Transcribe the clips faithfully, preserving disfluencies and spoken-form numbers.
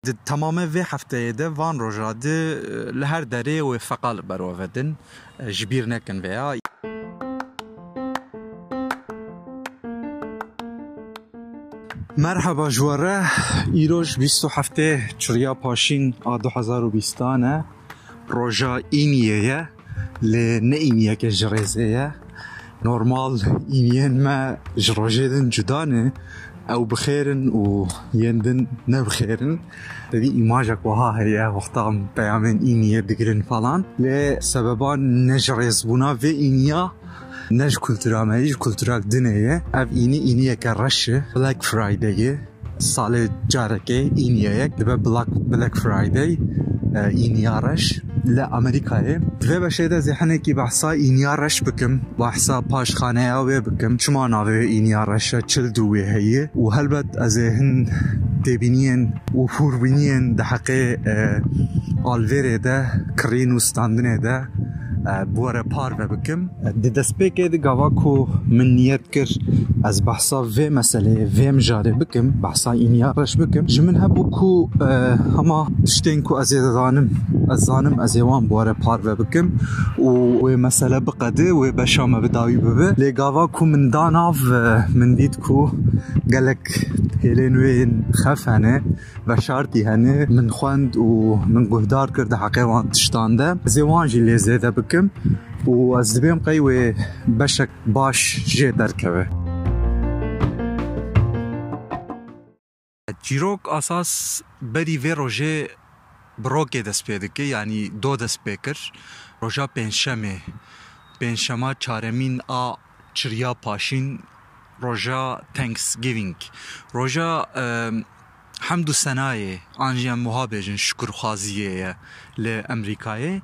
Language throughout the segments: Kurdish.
Di temamê vê hefteyê de van roja di, e, li her derê wê feqa li ber we vedin. E, ji bîr nekin vêya. Merheba ji we re, îroj bîst û heftê Çiriya Paşîn a du hezar û bîstan e. Roja Îniyê ye, lê ne Îniyeke ji rêzê ye. Normal Îniyên me ji rojê din cuda ne. Ew bi xêr in û yên din ne bi xêr in. Tevî îmajek wiha heye, wexta em peyamên Îniyê digirin falan. Lê sebeba ne ji rêzbûna vê Îniya, ne ji kultura me, ji kulturek dinê ye. Ev Înî, Îniyeke reş e. Black Friday ye. Salê carekê Îniyeyek dibe Black, Black Friday, e, Îniya reş li Amerîkayê. Di vê beşê de ez ê hinekî behsa Îniya reş bikim, behsa paşxaneya wê bikim. Çima navê wê Îniya reş e, çi li dû wê heye? Û helbet ez ê hin têbîniyên û hûrbîniyên di heqê, e, alvêrê de, kirîn û standinê de, e, bi we re parve bikim. Di destpêkê de gava ku min niyet kir ez behsa vê meseleyê, vê mijarê bikim, behsa Îniya reş bikim, ji min hebû ku, e, hema tiştên ku ez ê dizanim, ez zanim, ez ê wan bi we re parve bikim û wê mesele biqede, wê beşa me bi dawî bibe. Lê gava ku min da nav, e, min dît ku gelek hêlên wê yên xef hene, veşartî hene, min xwend û min guhdar kir di heqê wan tiştan de. Ez ê wan jî lê zêde bikim û ez dibêm qey wê beşek baş jê derkeve. Çîrok asas berî vê rojê bi rokê dest pê dike, yanî do dest pê kir. Roja pêncşemê, pêncşema çaremîn a Çiriya Paşîn, roja Thanksgiving, roja, e, hemd û senayê, an jî em wiha bêjin şukurxwaziyê ye li Amerîkayê.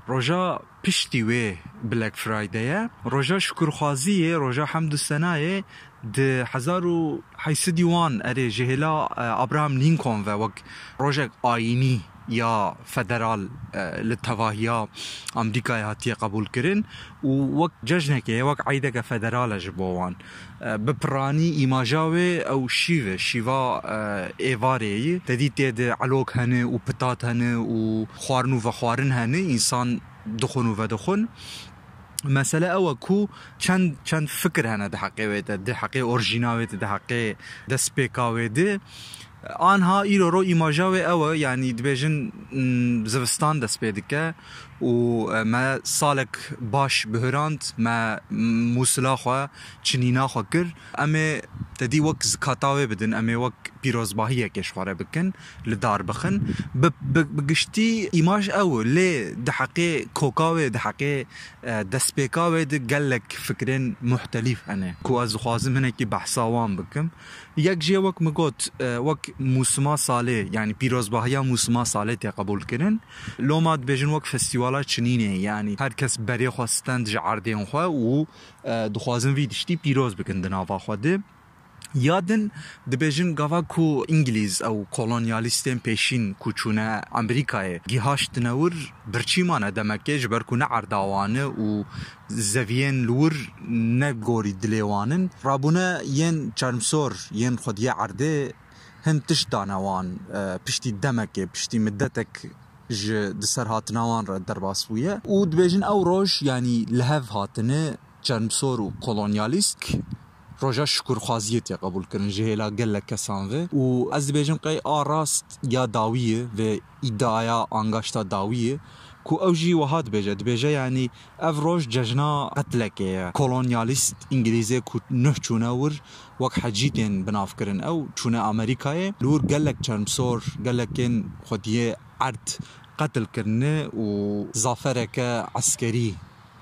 Roja piştî wê Black Friday ye. Roja şukurxwaziyê, roja hemd û senayê di hezar û heyt sed û wan erê ji hêla, e, Abraham Lincoln ve wek rojek ayînî ya federal, e, li tevahiya Amerîkayê hatiye qebûlkirin û wek cejnekê ye, wek eydeke federal e ji bo wan. E, bi piranî îmaja wê ew şîv e, şîva, e, êvarê ye. Te dî tê de elok hene û pitat hene û xwarin û vexwarin hene, însan dixwin û vedixwin. Mesele ew e ku çend, çend fikir hene di heqê wê de, di heqê orjîna wê de, di heqê destpêka wê de. Anha îro ro îmaja wê ew e, yanî dibêjin, mm, zivistan dest pê dike û, e, me salek baş bihurand, me, mm, mûsila xwe, çinîna xwe kir. Em ê te dî wek zikata wê bidin, em ê wek pîrozbahiyekê ji xwe re bikin, li dar bixin. Bi, bi, bi giştî îmaj ew e, lê di heqê koka wê, di heqê, e, destpêka wê de gelek fikrên muhtelîf hene ku ez dixwazim hinekî behsa wan bikim. Yek jê wek min got, e, wek mûsima salê, yanî pîrozbahiya mûsima salê tê qebûlkirin. Loma dibêjin wek festîvala çinînê, yanî her kes berê xwe stend ji erdên xwe û, e, dixwazin vî tiştî pîroz bikin di nava xwe de. Ya din dibêjin gava ku Îngilîz ew kolonyalîstên pêşîn ku çûne Amerîkayê gihaştine wir, birçî mane demekê, ji ber ku ne erda wan e û zeviyên li wir ne gorî dilê wan in. Rabûne yên çermsor, yên xwediyê erdê hin tişt dane wan, e, piştî demekê, piştî midetek ji di ser hatina wan re derbas bûye û dibêjin ew roj, yanî li hev hatine çermsor û kolonyalîst, roja şukurxwaziyê tê qebûlkirin ji hêla gelek kesan ve û ez dibêjim qey a rast ya dawî ye vê îdiaya angaşta dawî ye ku ew jî wiha dibêje, dibêje, yanî ev roj cejna qetlekê ye. Kolonyalîst Îngilîzê ku nuh çûne wir wek hecî tên binavkirin ew, çûne Amerîkayê, li wir gelek çermsor, gelekên xwediyê erd qetil kirine û zafereke eskerî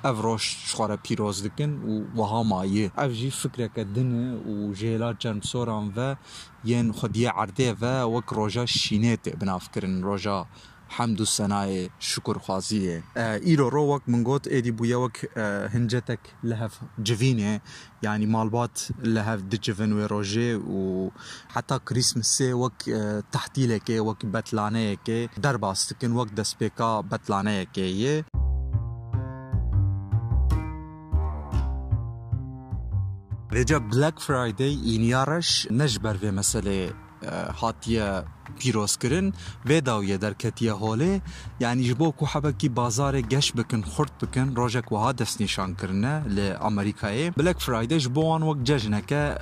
ev roj ji xwe re pîroz dikin û wiha maye. Ev jî fikreke din e û ji hêla çermsoran ve yên xwediyê erdê ve wek roja şînê tê binavkirin, roja hemd û senayê, şukurxwaziyê. E, îro ro wek min got, êdî bûye wek, e, hincetek li hev civînê, yanî malbat li hev dicivin wê rojê û heta Krîsmisê wek, e, tehtîlekê, wek betlaneyekê derbas dikin, wek destpêka betlaneyekê ye. Vêca Black Friday, îniya reş, ne ji ber vê meseleyê e, hatiye pîrozkirin, vê dawiyê derketiye holê. Yanî ji bo ku hebekî bazarê geş bikin, xurt bikin, rojek wiha destnîşan kirine li Amerîkayê. Black Friday ji bo wan wek cejneke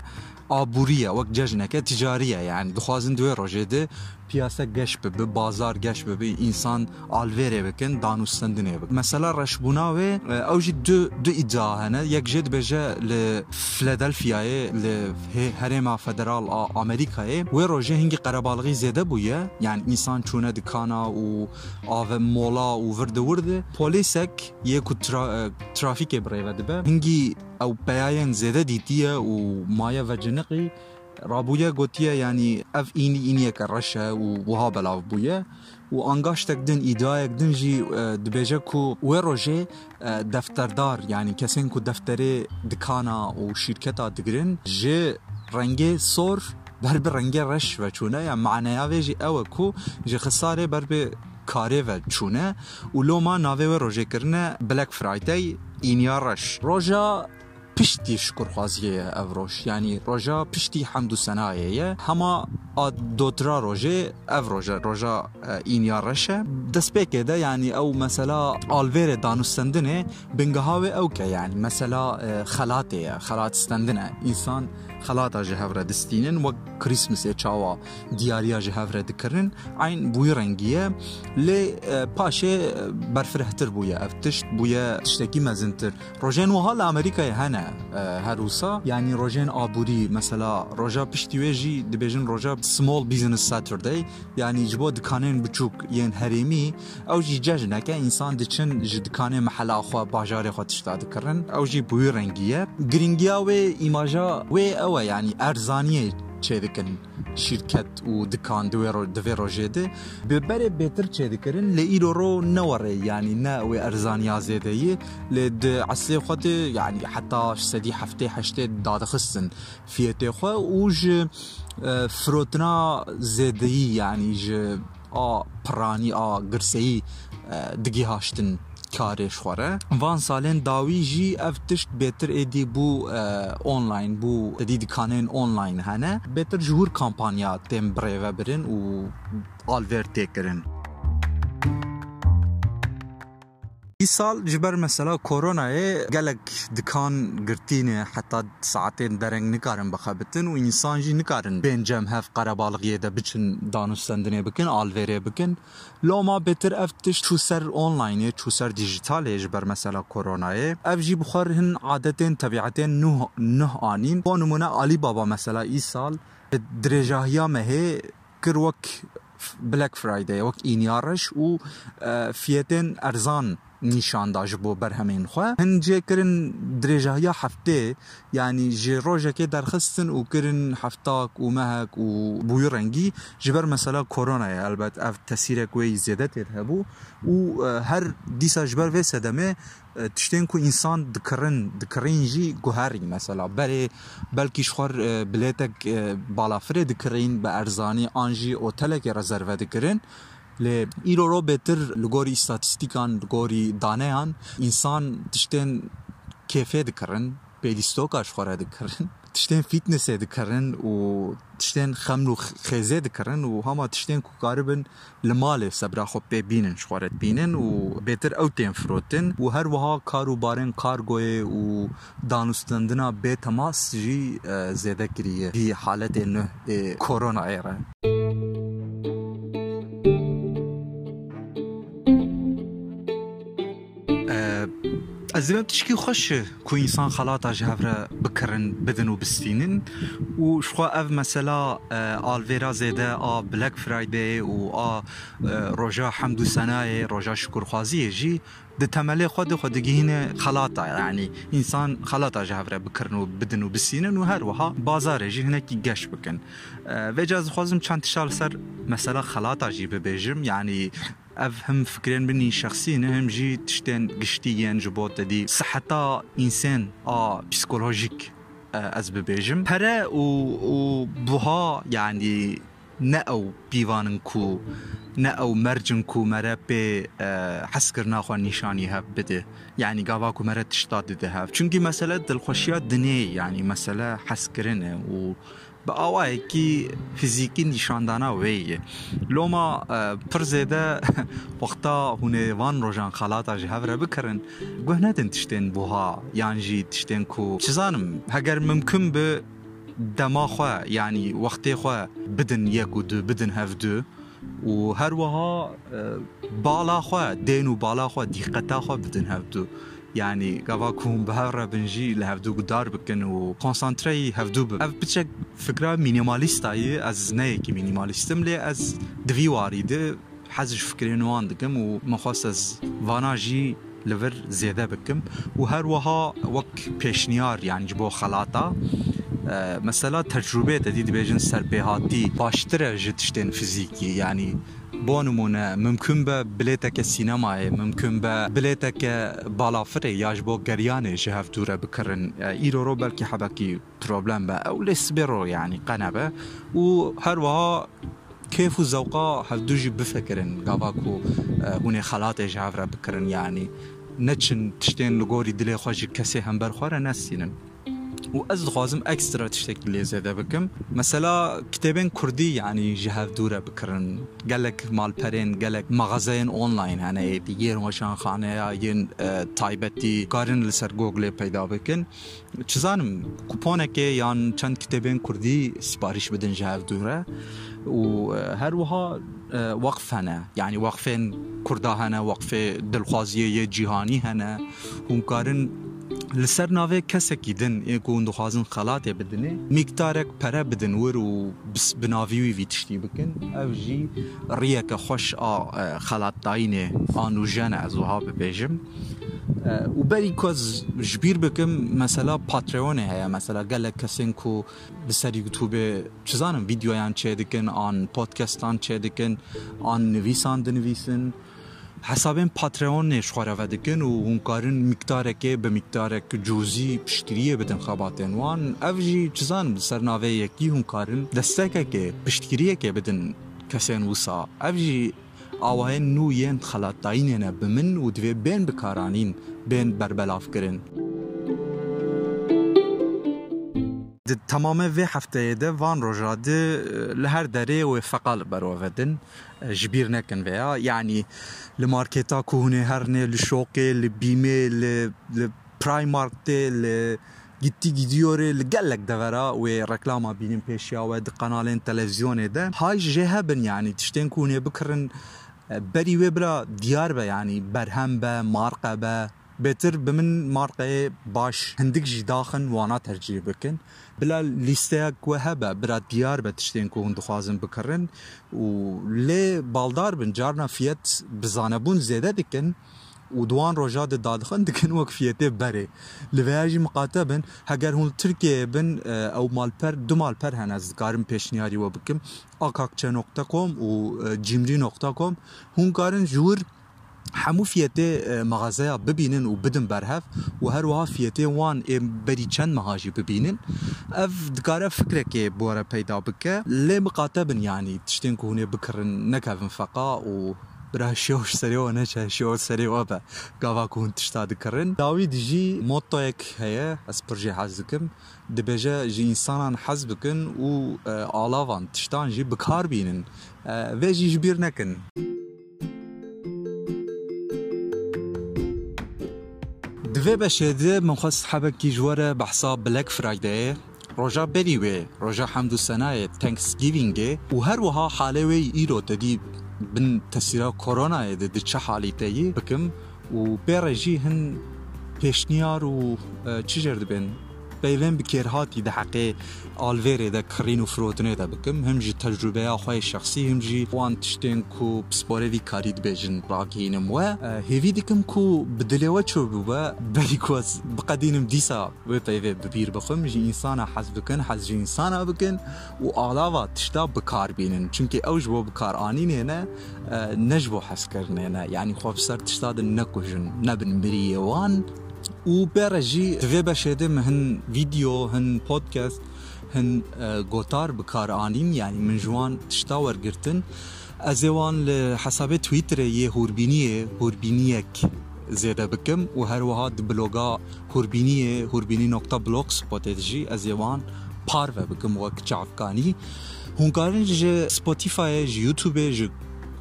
aborî ye, wek cejneke ticarî ye. Yanî dixwazin di wê rojê de piyase geş bibe, bazar geş bibe, însan alvêrê bikin, danûstendinê bikin. Mesela reşbûna wê, e, ew jî du, du îdia hene. Yek jê dibêje li Filadelfiyayê, li hê-, herêma federal a Amerîkayê, wê rojê hingî qerebalixî zêde bûye. Yanî însan çûne dikana û ave mola û virdi wirdi. Polîsek yê ku tra-, e, trafîkê bi rê ve dibe, hingî ew peyayên zêde dîtiye û maye veciniqî. Rabûye gotiye, yanî ev înî îniyeke reş e û wiha belav bûye. Û angaştek din, îdiayek din jî, e, dibêje ku wê rojê, e, defterdar, yanî kesên ku defterê dikana û şîrketa digirin, ji rengê sor ber bi rengê reş ve çûne. Ya maneya vê jî ew e ku ji xisarê ber bi karê ve çûne û loma navê wê rojê kirine Black Friday, îniya reş. Roja piştî şukurxwaziyê ye ev roj. Yanî roja piştî hemd û senayê ye. Hema a dotira rojê ev roje, roja, e, îniya reş e. Destpêkê de, yanî ew mesela alvêrê danûstendinê, bingeha wê ew ke, yanî mesela, e, xelatê ye, xelat stendin e. Însan xelata ji hev re distînin, wek Christmasê çawa diyariya ji hev re dikirin, eyn bi wî rengî ye. Lê, e, paşê, e, berfirehtir bûye ev tişt, bûye tiştekî mezintir. Rojên wiha li Amerîkayê hene, e, her wisa. Yanî rojên aborî, mesela roja piştî wê jî dibêjin roja Small Business Saturday. Yanî ji bo dikanên biçûk yên herêmî, ew jî cejneke, însan diçin ji dikanê mehela xwe, bajarê xwe tişta dikirin. Ew jî bi wî rengî ye. Girîngiya wê, îmaja wê ew e, yanî erzaniyê çêdikin şîrket û dikan di wê ro-, di vê rojê de. Bi berê bêtir çêdikirin, lê îro ro ne werê, yanî ne wê erzaniya zêdeyî, lê di eslê xwe de, yanî heta sedî heftê heştê dadixistin fiyetê xwe û ji, e, firotina zêdeyî, yanî ji a piranî, a girseyî, e, digihaştin karê ji xwe re. Van salên dawî jî ev tişt bêtir êdî bû, e, online bû, êdî dikanên online hene. Bêtir ji wir kampanya tên birêvebirin û alvêr tê kirin. Îsal ji ber mesela koronayê gelek dikan girtî ne, heta saetên dereng nikarin bixebitin û însan jî nikarin bên cem hev qerebalixiyê de biçin danûstendinê bikin, alvêrê bikin. Loma bêtir ev tişt çû ser onlineê, çû ser dijitalê ji ber mesela koronayê. Ev jî bi xwe re hin adetên tebîetên nuh, nuh anîn. Bo nimûne Alibaba mesela îsal bi dirêjahiya mehê kir wek Black Friday, wek îniya reş û, e, fiyetên erzan nîşan da ji bo berhemên xwe. Hin cê kirin dirêjahiya heftê, yanî ji rojekê derxistin û kirin heftak û mehek û bûyî rengî ji ber mesela koronayê. Elbet ev tesîrek wê yî zêde tê de hebû û, e, her dîsa ji ber vê sedemê, e, tiştên ku însan dikirin, dikirîn jî guherî mesela. Berê belkî ji xwe, e, bilêtek, e, balafirê dikirîn bi erzanî an jî otelekê rezerve dikirin. Lê îro ro bêtir li gorî îstatîstîkan, li gorî daneyan, însan tiştên kêfê dikirin, pêlîstoka ji xwe re dikirin, tiştên fîtnesê dikirin û tiştên xeml û xêzê dikirin û hema tiştên ku karibin li malê sebra xwe pê bînin, ji xwe re dibînin û bêtir ew tên firotin û her wiha kar û barên kargoyê û danûstendina bê temas jî, e, zêde kiriye vî haletê nuh ê koronayê re. E, ez dibêm tişkî xweş e ku însan xelata ji hev re bikirin, bidin û bistînin û ji xwe ev mesela, e, alvêra zêde a Black Friday û a, e, roja hemd û senayê, roja şukurxwaziyê jî di temelê xwe de xwe digihîne xelata, yanî însan xelata ji hev re bikirin û bidin û bisînin û her wiha bazarê jî hinekî geş bikin. E, vêca ez dixwazim çend tişta li ser mesela xelata jî bibêjim, yanî ev him fikrên min ên şexsî ne, him jî tiştên giştî yên ji bo te dî siheta însên a psîkolojîk, e, ez bibêjim. Pere û, û buha, yanî ne ew pîvan in ku, ne ew merc in ku mere pê, e, hezkirina xwe nîşanî hev bide. Yanî gava ku mere tişta dide hev. Çunkî mesele dilxweşiya dinê, yanî mesele hezkirin e û Bi awayekî fizîkî nîşandana wê ye. Loma, e, pir zêde wexta hûn ê van rojan xelata ji hev re bikirin, guh nedin tiştên buha, yan jî tiştên ku, çi zanim, heger mimkun bi dema xwe, yanî wextê xwe bidin yek û du, bidin hev du. Û her wiha, e, bala xwe, dên û bala xwe, dîqeta xwe bidin hevdu. Yanî gava ku hûn bi hev re bin jî li hevdu guhdar bikin û konsantreyî hevdu bibin. Ev piçek fikra mînîmalîsta ye, ez ne yekî mînîmalîst im, lê ez di vî warî de hez ji fikirên wan dikim û min xwest ez vana jî li vir zêde bikim û her wiha wek pêşniyar, yanî ji bo xelata, e, mesela tecrûbê te dî dibêjin serpêhatî baştir e ji tiştên fizîkî, yanî bo nimûne mimkun be bilêteke sînemayê, mimkun be bilêteke balafirê ya ji bo geriyanê ji hev dû re bikirin. E, îro ro belkî hebekî problem be ew, lê sibê ro yanî qe nebe û her wiha kêf û zewqa hevdu jî bifikirin, gava ku, e, hûn ê xelatê ji hev re bikirin, yanî neçin tiştên li gorî dilê xwe ji kesê hember xwe re nestînin. Û ez dixwazim ekstra tiştekî lê zêde bikim. Mesela kitêbên kurdî, yanî ji hev dû re bikirin. Gelek malperên, gelek maxazeyên online hene, êdî yên weşanxaneya, yên, e, taybetî, karin li ser Google peyda bikin. Çi zanim, kuponekê yan çend kitêbên kurdî sipariş bidin ji hev dû re. Û, e, her wiha, e, weqf hene. Yanî weqfên kurda hene, weqfê dilxwaziyê yê cîhanî hene. Hûn karin li ser navê kesekî din ê ku hûn dixwazin xelatê bidinê, mîktarek pere bidin wir û bis-, bi navî wî vî tiştî bikin. Ev jî riyeke xweş a, e, xelatdayînê a nûjen e, ez wiha bibêjim. E, û berî ku ez ji bîr bikim, mesela Patreonê heye, mesela gelek kesên ku li ser YouTubeê, çi zanim, vîdeoyan çêdikin, an podcastan çêdikin, an nivîsan dinivîsin. Hesabên Patreonê ji xwe re vedikin û hûn karin mîktarekê bi mîktarek cûzî piştgiriyê bidin xebatên wan. Ev jî, çi zanim, li ser navê yekî hûn karin destekekê, piştgiriyekê bidin kesên wisa. Ev jî awayên nû yên xelatdayînê ne bi min û divê bên bikaranîn, bên berbelavkirin. Di temamê vê hefteyê de van roja di, e, li her derê wê feqa li ber we vedin. E, ji bîr nekin vêya. Yanî li marketa ku hûn ê herinê, li şoqê, li bîmê, li, li Primark tê, li Gitti Gidiyorê, li gelek devera wê reklama bînin pêşiya we di kanalên televîzyonê de. Hay jê hebin, yanî tiştên ku hûn ê bikirin, e, berî wê bila diyar be, yanî berhem be, marqe be. Bêtir bi min marqeyê baş hindik jî daxin, wana tercîh bikin. Bila lîsteyek we hebe, bira diyar be tiştên ku hûn dixwazin bikirin û lê baldar bin, carna fiyet bi zanebûn zêde dikin û di wan roja de dadixin, dikin wek fiyetê berê. Li vêya jî miqate bin, heger hûn li Tirkiyeyê bin, e, ew malper, du malper hene, ez dikarim pêşniyarî we bikim. Akakçe nokta com û, e, cimri nokta com. Hûn karin ji wir hemû fiyetê, e, mexazeya bibînin û bidin berhev û her wiha fiyetê wan ê berî çend meha jî bibînin. Ev dikare fikrekê bi we re peyda bike. Lê miqate bin, yanî tiştên ku hûn ê bikirin nekevin feqa û bira şêw ji serê we neçe, şêw serê we be gava ku hûn tişta dikirin. Dawî dijî mottoyek heye, ez pir jê hez dikim. Dibêje, ji însanan hez bikin û, e, alavan, tiştan jî bi kar bînin. E, vê jî ji bîr nekin. Di vê beşê de min xwest hebekî ji we re behsa Black Fridayê, roja berî wê, roja hemd û senayê, Thanksgivingê, û her wiha halê wê îro te dî bin tesîra koronayê de di çi halî te yî bikim û pê re jî hin pêşniyar û, e, çi jêr dibên peyvên bi kêrhatî di heqê alvêrê de, kirîn û firotinê de bikim, him ji tecrûbeya xwe yê şexsî, him jî wan tiştên ku pisporê vî karî dibêjin ragihînim we. E, hêvî dikim ku bi dilê we çûbûbe, berî ku ez biqedînim dîsa wê peyvê bi bîr bixwim, ji însana hez bikin, hez ji însana bikin û alava tişta bi kar bînin. Çimkî ew ji bo bi kar anînê ne, e, ne ji bo hezkirinê ne. Yanî xwe bi ser tişta de nekujin, nebin miriyê wan. Û pê re jî di vê beşê de min hin vîdeo, hin podcast, hin, e, gotar bi kar anîn, yanî min ji wan tişta wergirtin. Ez ê wan li hesabê Twitterê yê Hûrbîniyê, Hûrbîniyek zêde bikim û her wiha di bloga Hûrbîniyê, hûrbînî nokta blogspotê de jî ez ê wan parve bikim wek çavkanî. Hûn karin ji Spotifyê, ji YouTubeê, ji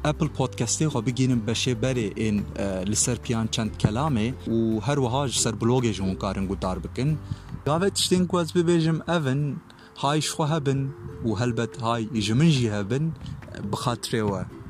Apple Podcastê xwe bigînin beşê berê ên e, li ser piyan çend kelamê û her wiha ji ser blogê jî hûn karin guhdar bikin. Gavê tiştên ku ez bibêjim ev in, hay ji xwe hebin û helbet hay ji min jî hebin, bi xatirê we.